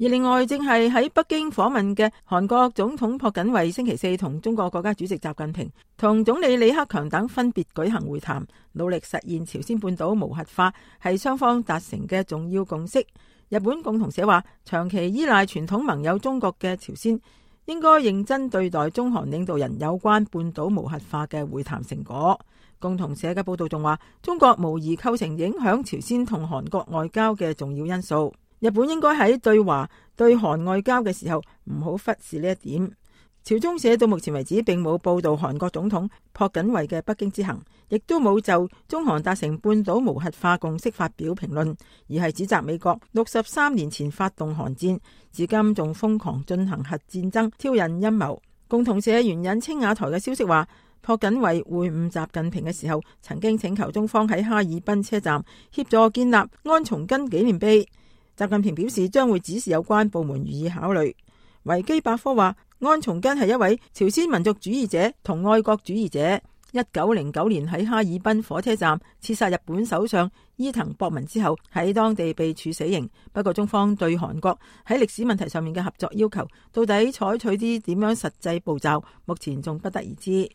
而另外正係喺北京訪問嘅韓國總統朴槿惠星期四同中國國家主席習近平同總理李克強等分別舉行會談，努力實現朝鮮半島無核化係雙方達成嘅重要共識。日本共同社話，長期依賴傳統盟友中國嘅朝鮮應該認真對待中韓領導人有關半島無核化嘅會談成果。共同社嘅報道仲話，中國無疑構成影響朝鮮同韓國外交嘅重要因素。日本應該喺對華對韓外交嘅時候唔好忽視呢一點。朝中社到目前為止並冇報道韓國總統朴槿惠嘅北京之行，亦都冇就中韓達成半島無核化共識發表評論，而係指責美國63年前發動韓戰，至今仲瘋狂進行核戰爭挑釁陰謀。共同社援引青瓦台嘅消息話，朴槿惠會晤習近平嘅時候，曾經請求中方喺哈爾濱車站協助建立安重根紀念碑。習近平表示將會指示有關部門予以考慮。維基百科話，安重根係一位朝鮮民族主義者同愛國主義者，1909年喺哈爾濱火車站刺殺日本首相伊藤博文之後，喺當地被處死刑。不過中方對韓國喺歷史問題上面嘅合作要求，到底採取啲點樣實際步驟，目前仲不得而知。